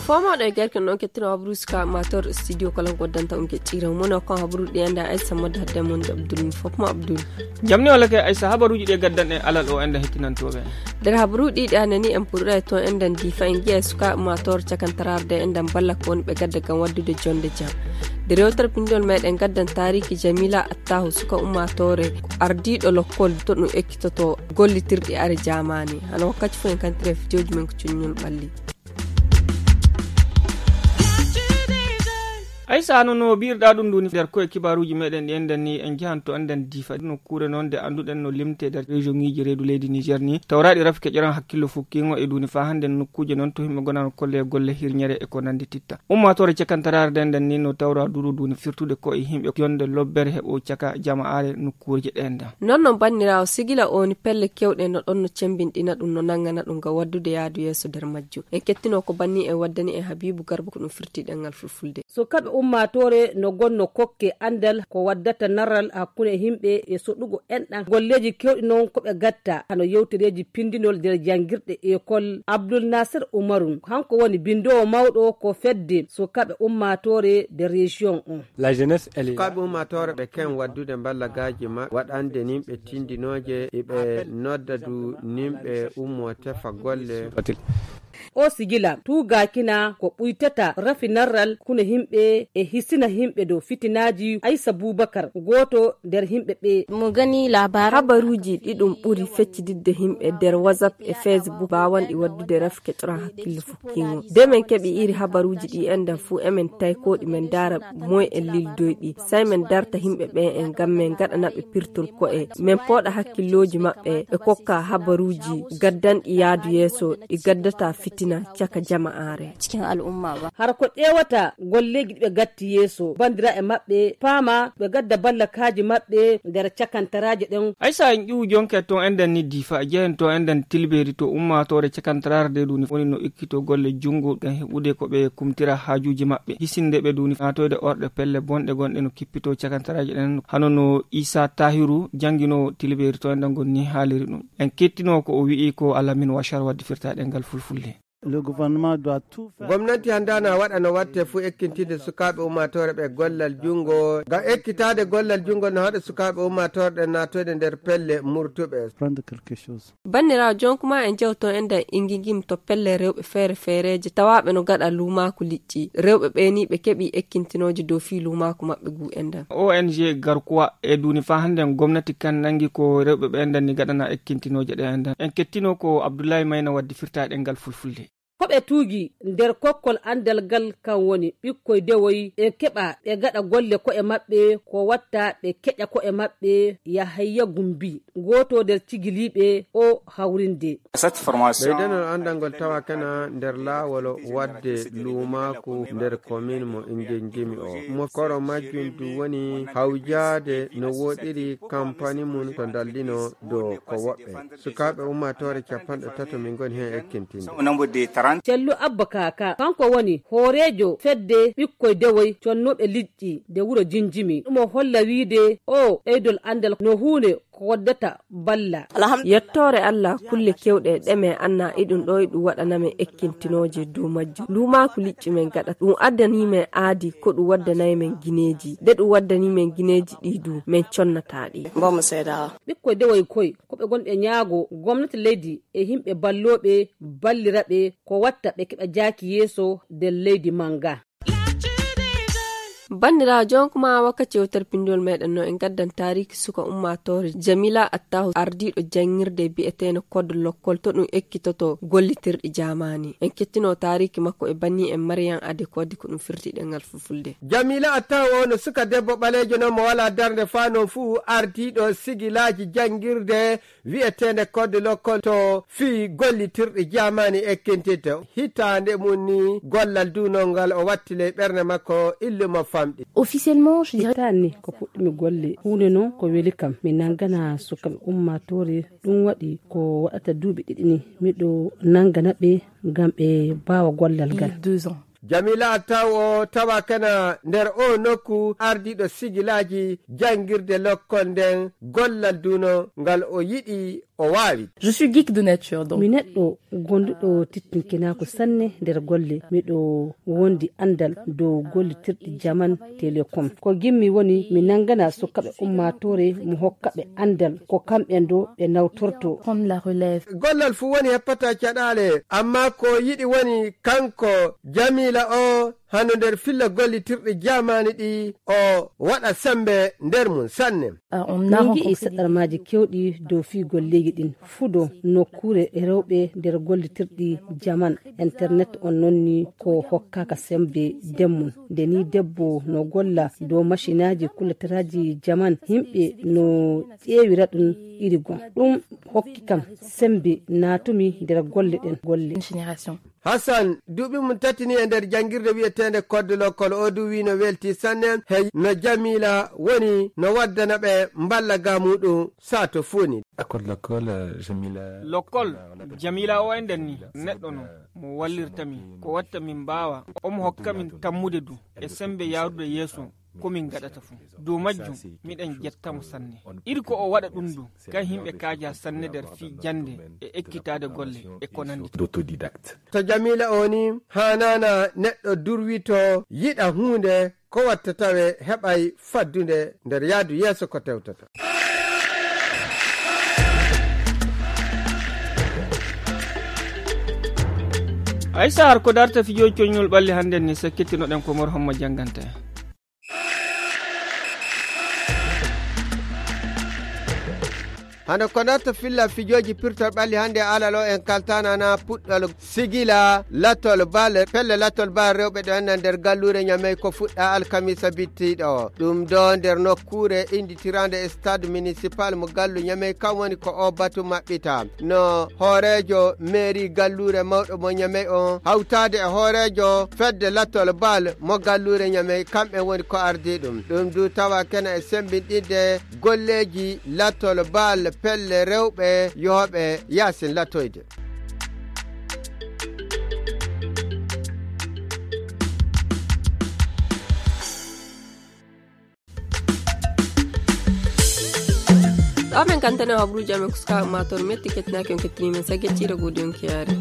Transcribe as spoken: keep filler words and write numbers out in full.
Fomo da garkin non ke tino abruska mator studio kala godanta unke tira mono ko habru de anda ay samad hadde mon Abdul Fofmo Abdul jamni wala ke ay sahabaruji de gaddan e alal o anda hetinan tobe der habru di danani en purra to endan di fa ngi suka mator cakantararde endan balla kon be gadda kan waddude jonde jam de rewtar pindol meden gaddan tariki Jamila Attahu suka ummatore ardido lokkol to no ekkitoto gollitirdi are jamani hano kacci fu en kan tref judgment cunyul balli ay sano no birda dum duni der ko kibaruji meden di enden ni en jahanto anden difa no kure non de anduden no limte der region ngiji redu leydi Niger ni tawradi rafike jiran hakkilo fukkingo e duni fa hande no kuje non to himbe gonan kolle golle hirnyere e ko nandi titta ummatore cekantarar denden ni no tawra duru duni firtude ko e himbe yonde lobbere hebo caka jamaare no kurje denda non non bannirawo sigila oni pelle kewde no don no cembindina dum no nangana dum ga waddude yaadu yeso der majju en kettino ko banni e waddani e Habibu Garba ko no firti dengal fulfulde so kabe ummatore no gonno kokke andal ko waddata naral hakkunde himbe e sodugo endan golleji kewdi non ko be gatta hano yewtereji pindinol der jangirde école Abdul Nasir Umarun hanko woni bindowo mawdo ko fedde so kabe ummatore de région on la jeunesse elle kabe ummatore be ken waddude ballagaji ma wadande nimbe tindinoje e be noddadu nimbe ummo tefa golle o sigila tuga kina ko buytata rafinarral kuna himbe e hisina himbe do fitinaji Aisha Bubakar goto der himbe be mu gani labar habaruji didum buri feccididde himbe der WhatsApp e Facebook bawan di waddude rafke tora hakkille fukkingo de men kebi iri habaruji di enda fu emen tay ko di men dara moy e lildoydi sai men darta himbe be en gamme gadana be pirtul ko e men poda hakkilloji mabbe e kokka habaruji gaddan iyadu yeso di gaddata fitina caka jama'are cikin al'umma ba har ko dewata golleji be gatti yeso bandira e mabbe fama be gadda balla kaji mabbe der cakantaraje den aysa en ƴiwu jonke to enden ni difa jehen to enden tilberi to ummatore cakantararde duni woni no ikkito golle jungo gan hebude ko be kumtira hajuji mabbe hisinde be duni atoyde orde pelle bonde gonde no kippito cakantaraje den hanono Isa Tahiru jangino tilberi to enden gonni haliri dum en kettino ko o wi'i ko alamin washar waddi firtaade ngal fulfulde le gouvernement doit tout faire gomnati handana wadana watte fu ekkintide sukabe ummatore be gollal jungo ga ekkitade gollal jungo no hada sukabe ummatore de natoyde der pelle murtube prendre quelque chose bannira jon kuma en jewto enda ingingim to pelle rewbe fere fereje tawabe no gada luma ku licci rewbe be ni be kebi ekkintinoje do fi luma ku mabbe gu enda O N G garkuwa e duni fa hande gomnati kan nangi ko rewbe be enda ni gadana ekkintinoje de enda en kettino ko Abdoulaye Mayna waddi firtaade ngal fulfulde kobe tuugi nder kokkol andal gal kan woni bikkoy dewoy e keba be gada golle ko e mabbe ko watta be keja ko e mabbe ya hayya gumbi goto der cigilibe o hawrinde cette formation be denol andangol tawa kana nder lawolo wadde luma ko nder commune mo ingengimi o mo koro majjundu woni hawjade no wodiri campagne mun to daldino do ko wobbe sukabe ummatore capande tato min gon hen ekkintinde cellu abba kaka kanko woni horejo fedde bikkoy dewoy connobe liddi de wuro jinjimi mo holla wiide o eidol andal no huune ko waddata balla yettore Allah kulle kewde deme anna idun do idu wadaname ekkintinoje do majju luma ku licci men gada dum addani men aadi ko du waddanay men gineji de du waddani men gineji didu men connataadi ba mu sayda bikkoy dewoy koy ko be gonde nyaago gomnati leydi e himbe ballobe ballirabe ko watta be keba jaki yeso de leydi manga bandira jon kuma wakati wotar pindol meden no en gaddan tariki suka ummatore Jamila Attahu ardido jangirde bi eteno kod lokkol to dum ekkitoto gollitirdi jamani en kettino tariki makko e banni en Maryam ade kodi ko dum firti dengal fufulde Jamila Attahu no suka debbo balejo no mo wala darde fano fu ardido sigilaji jangirde wi etene kod lokkol to fi gollitirdi jamani ekkintito hitande munni gollal dunongal o wattile berne makko illumo famɗi. Officiellement, je dirais tani ko puɗɗimi golle hunde noon ko weli kam mi nangana sukaɓe ummatore ɗum waɗi ko waɗata duuɓi ɗiɗi ni miɗo nangana ɓe ngam ɓe bawa gollal ngal deux ans. Jamila taw o tawa kana nder o nokku ardiɗo sigilaji jangirde lokkol nden gollal duno ngal o yiɗi o wawi. Je suis geek de nature donc. Mi neɗɗo gonduɗo tittinkinako sanne nder golle miɗo wondi andal dow gollitirɗi jaman télécom ko gimmi woni mi nangana sukaɓe ummatore mo hokkaɓe andal ko kamɓen do ɓe nawtorto Prendre la relève. Gollal fu woni heppata caɗale amma ko yiɗi woni kanko Jamila o hano nder filla gollitirɗi jamani ɗi o waɗa sembe nder mum sanne. Ah, on a min gi'i rencontré saɗarmaji kewɗi dow fi golleji ɗin fudo nokkure e rewɓe nder gollitirɗi jaman internet on nonni ko hokkaka sembe demmum nde ni debbo no golla dow machinaji kulatiraji jaman himɓe no ƴeewira ɗum iri gon ɗum hokki kam sembe natumi nder golle ɗen golle une génération. Hassan duuɓi mum tatini e nder jangirde wi'etende kodde lokkol o du wi no welti sanne hey no Jamila woni no waddana ɓe mballaga muɗum sato funi. lokkol Jamila o e nden ni neɗɗo no mo wallirtami ko watta min mbawa omo hokka min tammude du e sembe yaarude yeeso komin gaɗata fu dow majjum miɗen jettamo sanne iri ko o waɗa ɗum du kan himɓe kaaja sanne nder fi jande e ekkitade golle e ko nandi To Jamila o ni hanana neɗɗo durwito yiɗa hunde ko watta tawe heɓay faddude nder yaadu yeeso ko tewtata. aysa har ko darta fijoji coñol ɓalli hande ni sakkitinoɗen ko mor hommo janganta en. hano ko natta filla fijoji pirtol ɓalli hande alalo en kaltanana puɗɗol sigila latol bal pelle latol bal rewɓe ɗo enna nder gallure ñamey ko fuɗɗa alkamisa bittiɗo ɗum do nder nokkure inditirande e stade municipal mo gallu ñamey kam woni ko o batu maɓɓita no hoorejo mairie gallure mawɗo mo ñamey on hawtade e hoorejo fedde latol bal mo gallure ñamey kamɓe woni ko ardi ɗum ɗum du tawa kena e sembinɗidde golleji latol bal pelle rewɓe yoɓe yasin latoyde. ɗo amen kantane habruji amen kuska ummator metti kettinaki on kettinimen saggecciɗo godi on kiyare.